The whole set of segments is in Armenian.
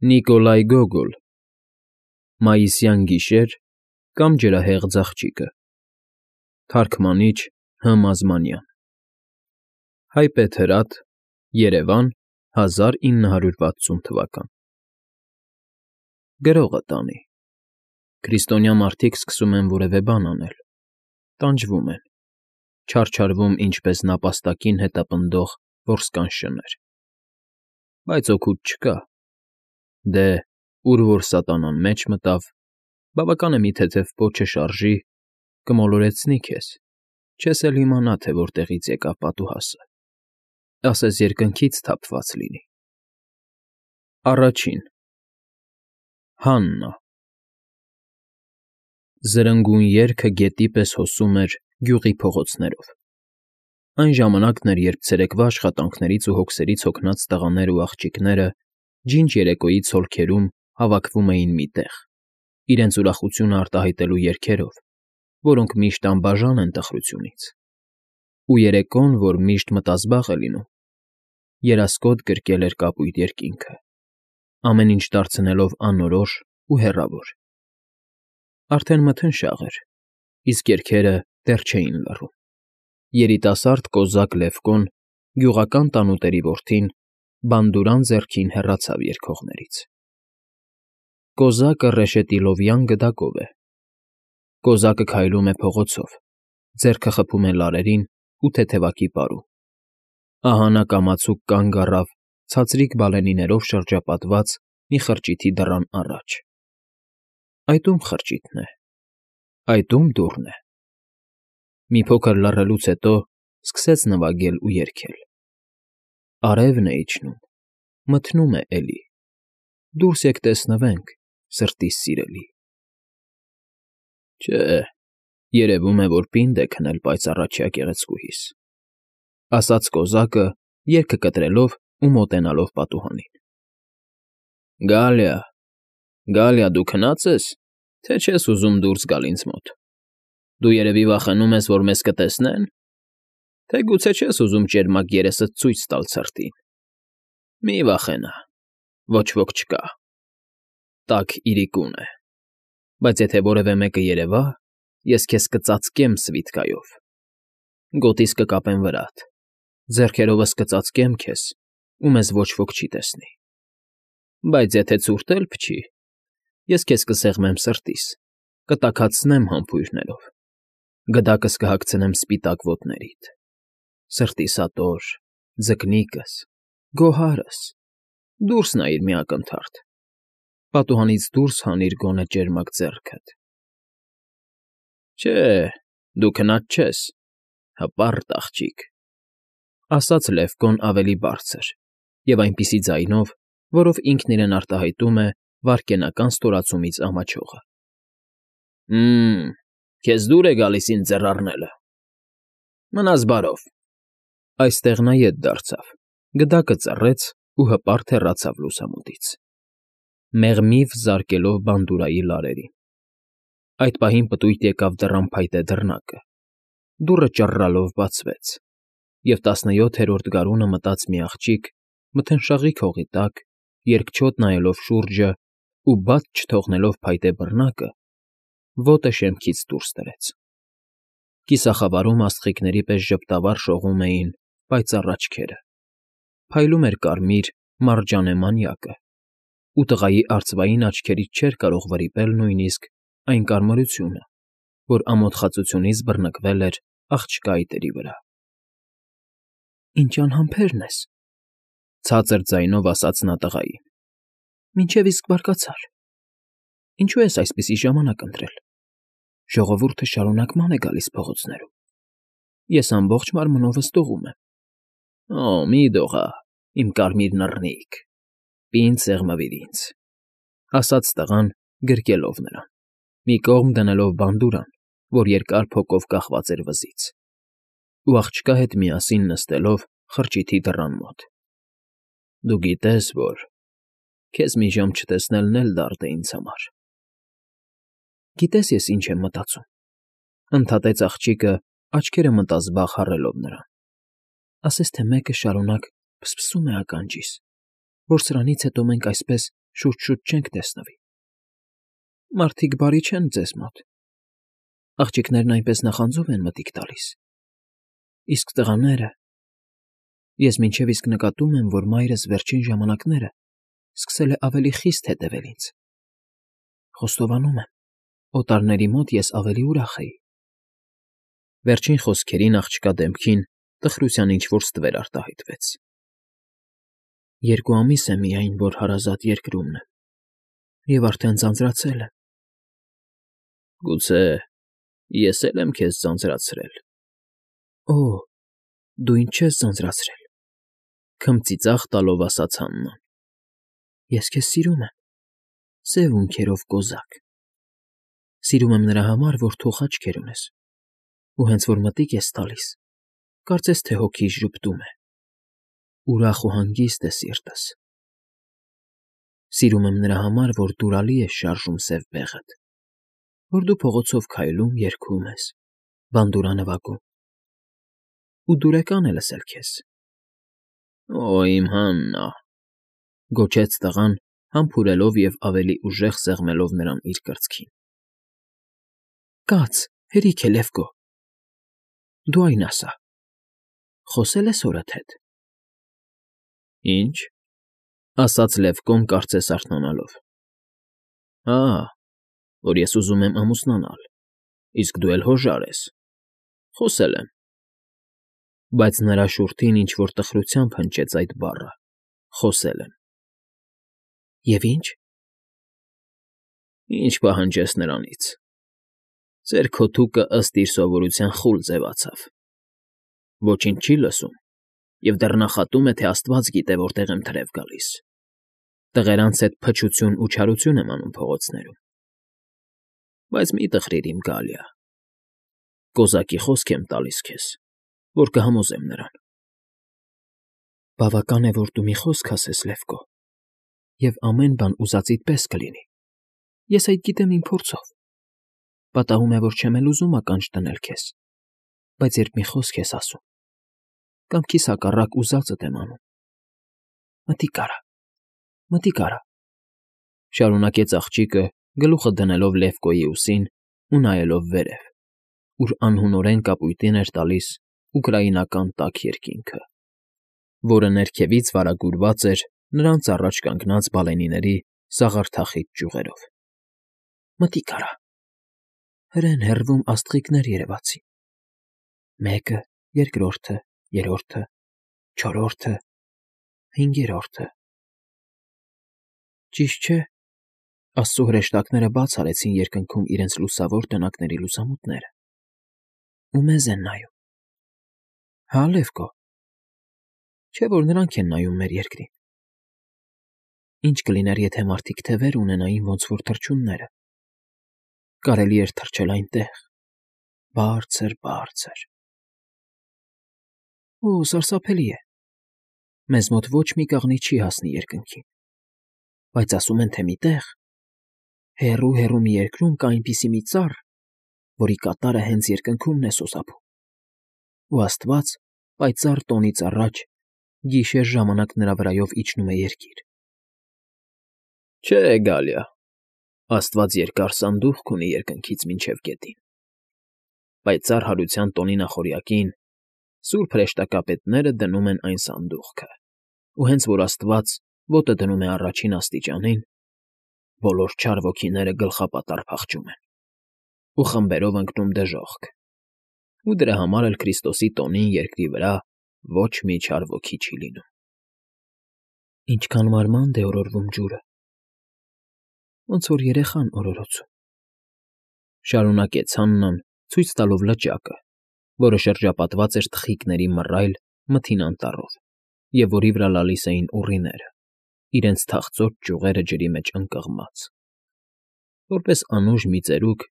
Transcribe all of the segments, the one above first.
Նիկոլայ Գոգոլ Մայիսյան գիշեր կամ ջրահեղձ աղջիկը Թարգմանիչ Հ. Մազմանյան Հայպետ հրատ Երևան 1960 թվական Գրողը տանի Քրիստոնյա մարդիկ սկսում են որևէ բան անել Տանջվում են Չարչարվում ինչպես նապաստակին հետապնդող որսկան շներ Բայց օգուտ չկա Դե, ուր որ սատանան մեջ մտավ, բավական է մի թեթև պոչը շարժի, կմոլորեցնի քեզ, չես էլ իմանա, թե որտեղից եկավ պատուհասը, ասես երկնքից թափված լինի։ Առաջին Հաննա Զրնգուն երգը գետի պես հոսում էր գյուղի փողոցներով։ Այն ժամանակն էր, երբ ցերեկվա աշխատանքներից ու հոգսերից հոգնած տղաներն ու աղջիկները ջինջ երեկոյի ցոլքերում հավաքվում էին մի տեղ, իրենց ուրախությունը արտահայտելու երգերով, որոնք միշտ անբաժան են տխրությունից, ու երեկոն, որ միշտ մտազբաղ է լինում, երասկոտ գրկել էր կապույտ երկինքը, ամեն ինչ դարձնելով անորոշ ու հեռավոր։ Արդեն մթնշաղ էր, իսկ երգերը դեռ չէին լռում։ Երիտասարդ կոզակ Լևկոն, գյուղական տանուտերի որդին, բանդուրան ձեռքին հեռացավ երգողներից։ Կոզակը ռեշետիլովյան գդակով է։ Կոզակը քայլում է փողոցով, ձեռքը խփում է լարերին ու թեթևակի պարում։ Ահա նա կամացուկ կանգ առավ ցածրիկ բալենիներով շրջապատված մի խրճիթի դռան առաջ։ Այդ ում խրճիթն է, այդ ում դուռն է։ Մի փոքր լռելուց հետո սկսեց նվագել ու երգել։ Արևն է իջնում, մթնում է էլի, դուրս եկ տեսնվենք, սրտիս սիրելի։ Չէ, երևում է, որ պինդ է քնել պայծառաչյա գեղեցկուհիս, ասաց կոզակը, երգը կտրելով ու մոտենալով պատուհանին։ Գալիա, դու քնած ես, թե չես ուզում դուրս գալ ինձ մոտ։ Դու երևի վախենում ես, որ մեզ կտեսնեն, թե գուցե չես ուզում ճերմակ երեսդ ցույց տալ ցրտին։ Մի վախենա, ոչ ոք չկա։ Տաք իրիկուն է, բայց եթե որևէ մեկը երևա, ես քեզ կծածկեմ սվիթկայով։ Գոտիս կկապեմ վրադ, ձեռքերովս կծածկեմ քեզ, ու մեզ ոչ ոք չի տեսնի։ Բայց եթե ցուրտ էլ փչի, ես քեզ կսեղմեմ սրտիս, կտաքացնեմ համբույրներով, գդակս կհագցնեմ սպիտակ ոտներիդ, սրտիս ատոր, ձկնիկս, գոհարս, դուրս նայիր մի ակնթարթ, պատուհանից դուրս հանիր գոնե ճերմակ ձեռքդ։ Չէ, դու քնած չես, հպարտ աղջիկ, ասաց Լևկոն ավելի բարձր և այնպիսի ձայնով, որով ինքն իրեն արտահայտում է վայրկենական ստորացումից ամաչողը։ Քեզ դուր է գալիս ինձ ձեռ առնելը։ Մնաս բարով։ Այստեղ նա ետ դարձավ, գդակը ծռեց ու հպարտ հեռացավ լուսամուտից, մեղմիվ զարկելով բանդուրայի լարերին։ Այդ պահին պտույտ եկավ դռան փայտե դռնակը, դուռը ճռռալով բացվեց, և 17-րդ գարունը մտած մի աղջիկ, մթնշաղի քողի տակ, երկչոտ նայելով շուրջը ու բաց չթողնելով փայտե բռնակը, ոտը շեմքից դուրս դրեց։ Կիսախավարում աստղիկների պես ժպտավար շողում էին պայծառ աչքերը, փայլում էր կարմիր մարջանե մանյակը, ու տղայի արծվային աչքերից չէր կարող վրիպել նույնիսկ այն կարմրությունը, որ ամոթխածությունից բռնկվել էր աղջկա այտերի վրա։ Ինչ անհամբերն ես,֊ ցածր ձայնով ասաց նա տղային։ Մինչև իսկ բարկացար։ Ինչու ես այսպիսի ժամանակ ընտրել։ Ժողովուրդը շարունակման է գալիս փողոցներում։ Ես ամբողջ մարմնովս դողում եմ։ Մի դողա, իմ կարմիր նռնիկ, պինդ սեղմվիր ինձ, ասաց տղան, գրկելով նրան, մի կողմ դնելով բանդուրան, որ երկար փոկով կախված էր վզից, ու աղջկա հետ միասին նստելով խրճիթի դռան մոտ։ Դու գիտես, որ քեզ մի ժամ չտեսնելն էլ դարդ է ինձ համար։ Գիտես ես ինչ եմ մտածում,֊ ընդհատեց աղջիկը, աչքերը մտազբաղ հառելով նրան։ Ասես թե մեկը շարունակ փսփսում է ականջիս, որ սրանից հետո մենք այսպես շուտ-շուտ չենք տեսնվի։ Մարդիկ բարի չեն ձեզ մոտ։ Աղջիկներն այնպես նախանձով են մտիկ տալիս։ Իսկ տղաները… Ես մինչև իսկ նկատում եմ, որ մայրս վերջին ժամանակները սկսել է ավելի խիստ հետևել ինձ։ Խոստովանում եմ, օտարների մոտ ես ավելի ուրախ էի։ Վերջին խոսքերին աղջկա դեմքին տխրության ինչ֊որ ստվեր արտահայտվեց։ 2 ամիս է միայն, որ հարազատ երկրումն եմ, և արդեն ձանձրացել եմ։ Գուցե ես էլ եմ քեզ ձանձրացրել։ Օ, դու ինձ չես ձանձրացրել,֊ քմծիծաղ տալով ասաց Հաննան։ Ես քեզ սիրում եմ, սև ունքերով կոզակ։ Սիրում եմ նրա համար, որ թող աչքեր ունես, ու հենց որ մտիկ ես տալիս, կարծես թե հոգիս ժպտում է, ուրախ ու հանգիստ է սիրտս։ Սիրում եմ նրա համար, որ դուրալի ես շարժում սև բեղդ, որ դու փողոցով քայլում երգում ես, բանդուրա նվագում, ու դուրեկան է լսել քեզ։ Օ, իմ Հաննա,֊ գոչեց տղան, համբուրելով և ավելի ուժեղ սեղմելով նրան իր կրծքին։ Կաց, հերիք է, Լևկո, դու այն ասա, խոսե՞լ ես հորդ հետ։ Ինչ,֊ ասաց Լևկոն կարծես արթնանալով։ Հա, որ ես ուզում եմ ամուսնանալ, իսկ դու էլ հոժար ես։ Խոսել եմ։ Բայց նրա շուրթին ինչ֊որ տխրությամբ հնչեց այդ բառը՝ խոսել եմ։ Եվ ի՞նչ։ Ինչ պահանջես նրանից։ Ձեր քոթուկը ըստ իր սովորության խուլ ձևացավ։ Ոչինչ չի լսում և դեռ նախատում է, թե աստված գիտե որտեղ եմ թրև գալիս։ Տղերանց հետ փչություն ու չարություն եմ անում փողոցներում։ Բայց մի տխրիր, իմ Գալիա, կոզակի խոսք եմ տալիս քեզ, որ կհամոզեմ նրան։ Բավական է, որ դու մի խոսք ասես, Լևկո, և ամեն բան ուզածիդ պես կլինի։ Ես այդ գիտեմ իմ փորձով։ Պատահում է, որ չեմ էլ ուզում ականջ դնել քեզ, բայց երբ մի խոսք ես ասում, կամքիս հակառակ ուզածդ եմ անում։ Մտիկ արա,֊ շարունակեց աղջիկը, գլուխը դնելով Լևկոյի ուսին ու նայելով վերև, ուր անհունորեն կապույտին էր տալիս ուկրաինական տաք երկինքը, որը ներքևից վարագուրված էր նրանց առաջ կանգնած բալենիների սաղարթախիտ ճյուղերով։ Մտիկ արա։ Հրեն հեռվում աստղիկներ երևացին։ Մեկը, երկրորդը, երրորդը, չորրորդը, հինգերորդը… Ճիշտ չէ, աստծո հրեշտակները բաց արեցին երկնքում իրենց լուսավոր տնակների լուսամուտները ու մեզ են նայում։ Հա, Լևկո, չէ՞ որ նրանք են նայում մեր երկրին։ Ինչ կլիներ, եթե մարդիկ թևեր ունենային ոնց որ թռչունները։ Կարելի էր թռչել այնտեղ, բարձր, բարձր… Օ, սարսափելի է։ Մեզ մոտ ոչ մի կաղնի չի հասնի երկնքին։ Բայց ասում են, թե մի տեղ, հեռու մի երկրում կա այնպիսի մի ծառ, որի կատարը հենց երկնքումն է սոսափում, ու աստված պայծառ տոնից առաջ գիշեր ժամանակ նրա վրայով իջնում է երկիր։ Չէ, Գալիա, աստված երկար սանդուղք ունի երկնքից մինչև գետին։ Պայծառ հարության տոնի նախօրյակին սուրբ հրեշտակապետները դնում են այն սանդուղքը, ու հենց որ աստված ոտը դնում է առաջին աստիճանին, բոլոր չար ոգիները գլխապատառ փախչում են ու խմբերով ընկնում դժոխք, ու դրա համար էլ Քրիստոսի տոնին երկրի վրա ոչ մի չար ոգի չի լինում։ Ինչքան մարմանդ է օրորվում ջուրը, ոնց որ երեխան օրորոցում,֊ շարունակեց Հաննան, ցույց տալով լճակը, որը շրջապատված էր թխիկների մռայլ մթին անտառով և որի վրա լալիս էին ուռիները, իրենց թախծոտ ճյուղերը ջրի մեջ ընկղմած։ Որպես անուշ մի ծերուկ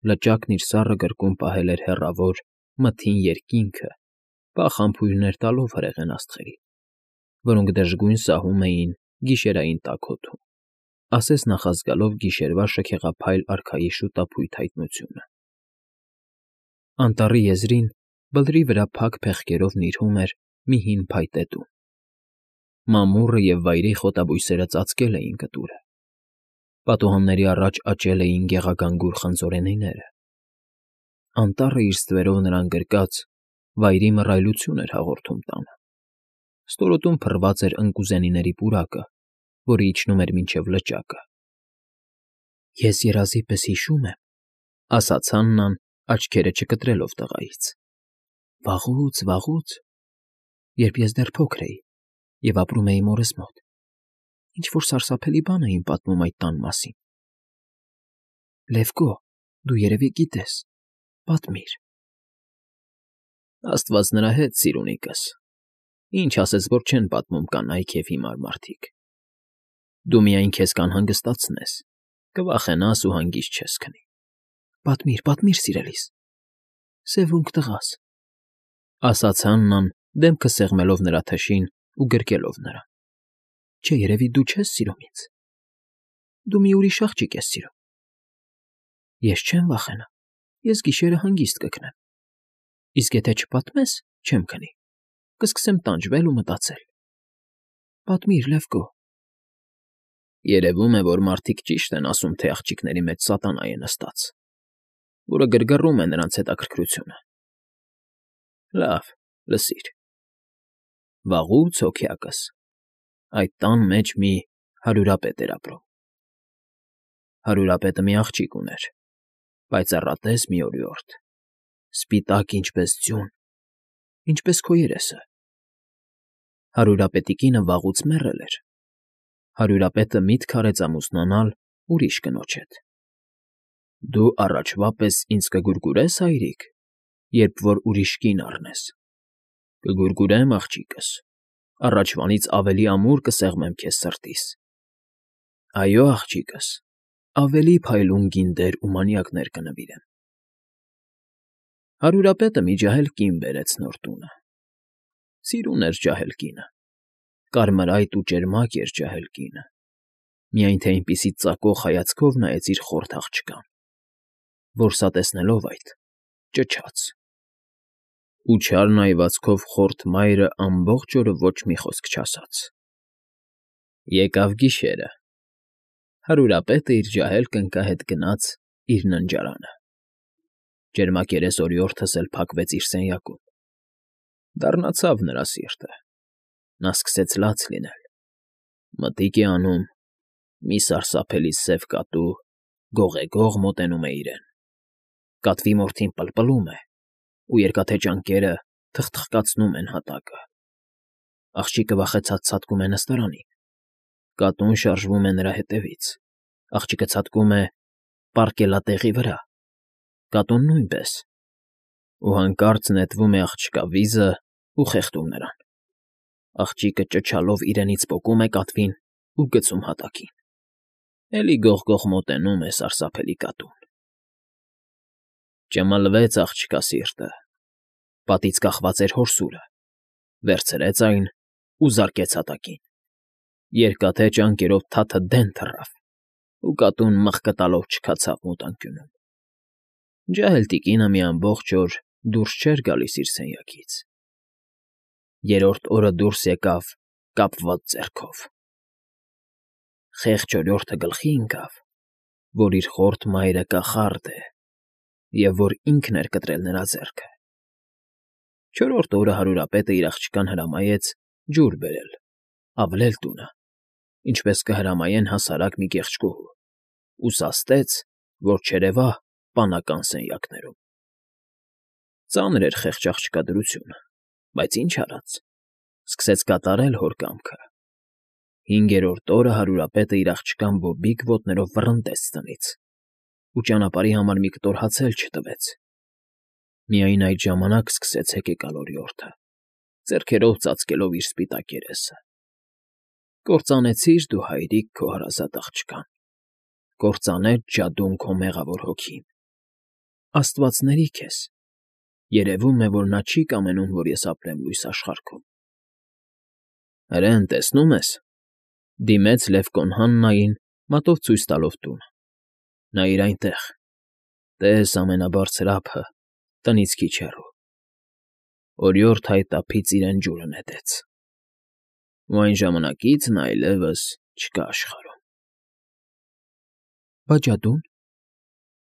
լճակն իր սառը գրկում պահել էր հեռավոր, մթին երկինքը, փախ համբույրներ տալով հրեղեն աստղերին, որոնք դժգույն սահում էին գիշերային տաք օդում, ասես նախազգալով գիշերվա շքեղափայլ արքայի շուտափույթ հայտնությունը։ Անտառի եզրին բլրի վրա փակ փեղկերով նիրհում էր մի հին փայտե տուն։ Մամուռը և վայրի խոտաբույսերը ծածկել էին կտուրը, Պատուհանների առաջ աճել էին գեղագանգուր խնձորենիները։ Անտառը իր ստվերով նրան գրկած վայրի մռայլություն էր հաղորդում տանը։ Ստորոտում փռված էր ընկուզենիների պուրակը, որը իջնում էր մինչև լճակը։ Ես երազի պես հիշում եմ, ասաց Հաննան, աչքերը չկտրելով տղայից։ Վաղուց, երբ ես դեռ փոքր էի և ապրում էի մորս մոտ, ինչ-որ սարսափելի բան էին պատմում այդ տան մասին։ Լևկո, դու երևի գիտես, պատմիր։ Աստված նրա հետ, սիրունիկս, ինչ ասես, որ չեն պատմում կանայք և հիմար մարդիկ։ Դու միայն քեզ կանհանգստացնես, կվախենաս ու հանգիստ չես քնի։ Պատմիր, սիրելիս, սևունք տղաս, ասաց Հաննան, դեմքը սեղմելով նրա թշին ու գրկելով նրան։ Չէ, երևի դու չես սիրում ինձ։ Դու մի ուրիշ աղջիկ ես սիրում։ Ես չեմ վախենա, ես գիշերը հանգիստ կքնեմ։ Իսկ եթե չպատմես, չեմ քնի, կսկսեմ տանջվել ու մտածել։ Պատմիր, Լևկո։ Երևում է, որ մարդիկ ճիշտ են ասում, թե աղջիկների մեջ սատանա է նստած, որը գրգռում է նրանց հետաքրքրությունը։ Լավ, լսիր։ Վաղուց հոգյակս այդ տան մեջ մի հարյուրապետ էր ապրում։ Հարյուրապետը մի աղջիկ ուներ, պայծառատես մի օրիորդ, սպիտակ ինչպես ձյուն, ինչպես քո երեսը։ Հարյուրապետի կինը վաղուց մեռել էր։ Հարյուրապետը միտք արեց ամուսնանալ ուրիշ կնոջ հետ։ Դու առաջվա պես ինձ կգուրգուրե՞ս, հայրիկ, երբ որ ուրիշ կին առնես։ Կգուրգուրեմ, աղջիկս, առաջվանից ավելի ամուր կսեղմեմ քեզ սրտիս։ Այո, աղջիկս, ավելի փայլուն գինդեր ու մանյակներ կնվիրեմ։ Հարյուրապետը մի ջահել կին բերեց նոր տունը։ Սիրուն էր ջահել կինը, կարմրայտ ու ճերմակ էր ջահել կինը, միայն թե այնպիսի ծակող հայացքով նայեց իր խորթ աղջկան, որ սա տեսնելով այդ ճչաց։ Ու չար նայվածքով խորթ մայրը ամբողջ օրը ոչ մի խոսք չասաց։ Եկավ գիշերը։ Հարյուրապետը իր ջահել կնկա հետ գնաց իր ննջարանը։ Ճերմակերես օրիորդս էլ փակվեց իր սենյակում։ Դառնացավ նրա սիրտը։ Նա սկսեց լաց լինել։ Մտիկ է անում, մի սարսափելի սև կատու գողեգող մոտենում է իրեն։ Կատվի մորթին պլպլում է, ու երկաթե ճանկերը թխթխկացնում են հատակը։ Աղջիկը վախեցած ցատկում է նստարանին։ Կատուն շարժվում է նրա հետևից։ Աղջիկը ցատկում է պառկելատեղի վրա։ Կատուն նույնպես։ Ու հանկարծ նետվում է աղջկա վիզը ու խեղդում նրան։ Աղջիկը ճչալով իրենից պոկում է կատվին ու գցում հատակին։ Էլի գողգող մոտենում է սարսափելի կատուն։ Ճմլվեց աղջկա սիրտը։ Պատից կախված էր հորսուրը։ Վերցրեց այն ու զարկեց հատակին։ Երկաթե ճանկերով թաթը դեն թռավ, ու կատուն մղկտալով չքացավ մութանկյունում։ Ջահել տիկինը մի ամբողջ օր դուրս չէր գալիս իր սենյակից։ Երրորդ օրը դուրս եկավ կապված ձեռքով։ Խեղճ օրիորդը գլխի ընկավ, որ իր խորթ մայրը կախարդ է և որ ինքն էր կտրել նրա ձեռքը։ Չորրորդ օրը հարյուրապետը իր աղջկան հրամայեց ջուր բերել, ավլել տունը, ինչպես կհրամայեն հասարակ մի կեղճկուհու, ու սաստեց, որ չերևա պանական սենյակներում։ Ծանր էր խեղճ աղջկա դրությունը, բայց ինչ արած, սկսեց կատարել հոր կամքը։ Հինգերորդ օրը հարյուրապետը իր աղջկան բոբիկ ոտներով վռնդեց տնից ու ճանապարհի համար մի կտոր հաց էլ չտվեց։ Միայն այդ ժամանակ սկսեց հեկեկալ օրիորդը, ձեռքերով ծածկելով իր սպիտակ երեսը։ Կործանեցիր դու, հայրիկ, քո հարազատ աղջկան, կործանեց ջադուն քո մեղավոր հոգին։ Աստվածների քեզ, երևում է, որ նա չի կամենում, որ ես ապրեմ լույս աշխարհքում։ Հրեն, տեսնում ես, դիմեց Լևկոն Հաննային, մատով ցույց տալով տունը։ Նայիր այնտեղ, տես ամենաբարձր ափը, տնից քիչ հեռու։ Օրիորդ հայտափից իրեն ջուրը նետեց։ Ու այն ժամանակից նա այլևս չկա աշխարհում։ Բա ջադո՞ւն,֊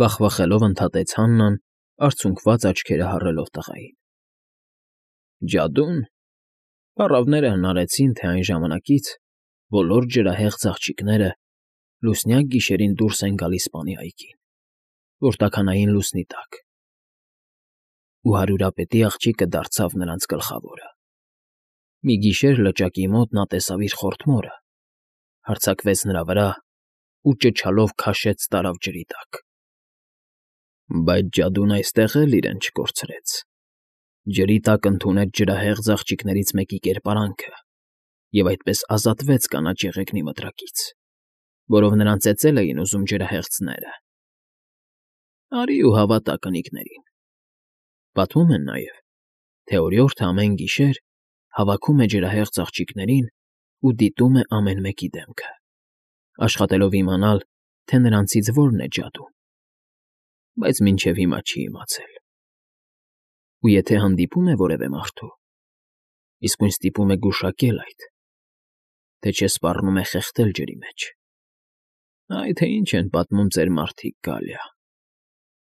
վախվախելով ընդհատեց Հաննան, արցունքված աչքերը հառելով տղային։ Ջադո՞ւն… Պառավները հնարեցին, թե այն ժամանակից բոլոր ջրահեղ ծաղկիչները լուսնյակ գիշերին դուրս են գալիս բանի այգին, որ տաքանային լուսնի տակ, ու հարյուրապետի աղջիկը դարձավ նրանց գլխավորը։ Մի գիշեր լճակի մոտ նա տեսավ իր խորթ մորը, հարձակվեց նրա վրա ու ճչալով քաշեց տարավ ջրի տակ։ Բայց ջադուն այստեղ էլ իրեն չկորցրեց. ջրի տակ ընդունեց ջրահեղ ծաղկիչներից մեկի կերպարանքը և այդպես ազատվեց կանաչ եղեգնի մտրակից, որով նրան ծեծել էին ուզում ջրահեղ ձները։ Արի ու հավատա կնիկներին. պատմում են նաև, թե օրիորդը ամեն գիշեր հավաքում է ջրահեղ ծաղկիչներին ու դիտում է ամեն մեկի դեմքը, աշխատելով իմանալ, թե նրանցից որն է ջադուն, բայց մինչև հիմա չի իմացել։ Ու եթե հանդիպում է որևէ մարդու, իսկույն ստիպում է գուշակել այդ, թե չէ սպառնում է խեղդել ջրի մեջ։ Այ թե ինչ են պատմում ձեր մարդիկ, Գալիա։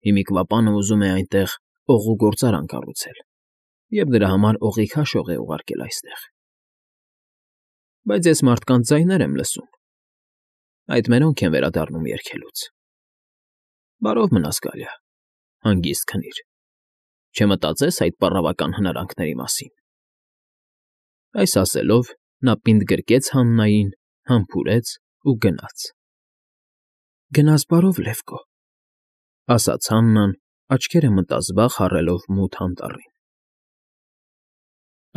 Հիմիկվա պանը ուզում է այնտեղ օղու գործարան կառուցել և դրա համար օղի քաշող է ուղարկել այստեղ։ Բայց ես մարդկանց ձայներ եմ լսում, այդ մերոնք են վերադառնում երգելուց։ Բարով մնաս, Գալիա, հանգիստ քնիր, չմտածես այդ պառավական հնարանքների մասին։ Այս ասելով նա պինդ գրկեց Հաննային, համբուրեց ու գնաց։ Գնաս բարով, Լևկո, ասաց Հաննան, աչքերը մտազբաղ հառելով մութ անտառին։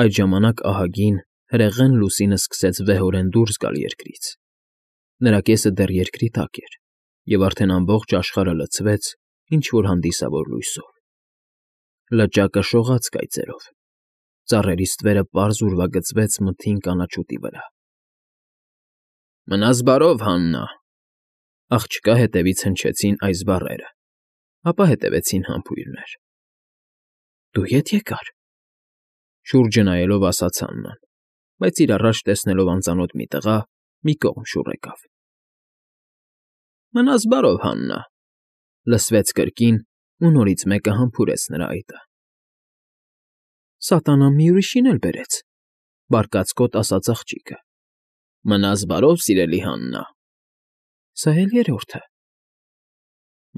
Այդ ժամանակ ահագին հրեղեն լուսինը սկսեց վեհորեն դուրս գալ երկրից։ Նրա կեսը դեռ երկրի տակ էր, և արդեն ամբողջ աշխարհը լցվեց ինչ֊որ հանդիսավոր լույսով։ Լճակը շողաց կայծերով, ծառերի ստվերը պարզ ուրվագծվեց մթին կանաչուտի վրա։ Մնաս բարով, Հաննա… Աղջկա հետևից հնչեցին այս բառերը, ապա հետևեցին համբույրներ։ Դու ետ եկար, շուրջը նայելով ասաց Հաննան, բայց իր առաջ տեսնելով անծանոթ մի տղա, մի կողմ շուռ եկավ։ Մնաս բարով, Հաննա… լսվեց կրկին, ու նորից մեկը համբուրեց նրա այտը։ Սատանան մի ուրիշին էլ բերեց, բարկացկոտ ասաց աղջիկը։ Մնաս բարով, սիրելի Հաննա… Սա էլ երրորդը։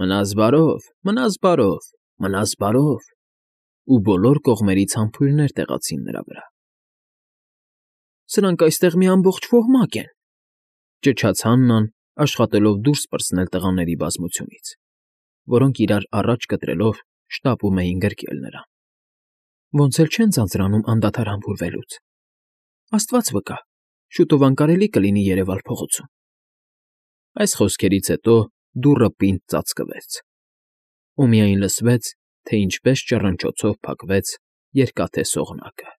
Մնաս բարով, մնաս բարով, մնաս բարով… Ու բոլոր կողմերից համբույրներ տեղացին նրա վրա։ Սրանք այստեղ մի ամբողջ ոհմակ են, ճչաց Հաննան, աշխատելով դուրս պրծնել տղաների բազմությունից, որոնք իրար առաջ կտրելով շտապում էին գրկել նրան։ Ոնց էլ չեն ձանձրանում անդադար համբուրվելուց։ Աստված վկա, շուտով անկարելի կլինի երևալ փողոցում։ Այս խոսքերից հետո դուռը պինդ ծածկվեց, ու միայն լսվեց, թե ինչպես ճռնչոցով փակվեց երկաթե սողնակը։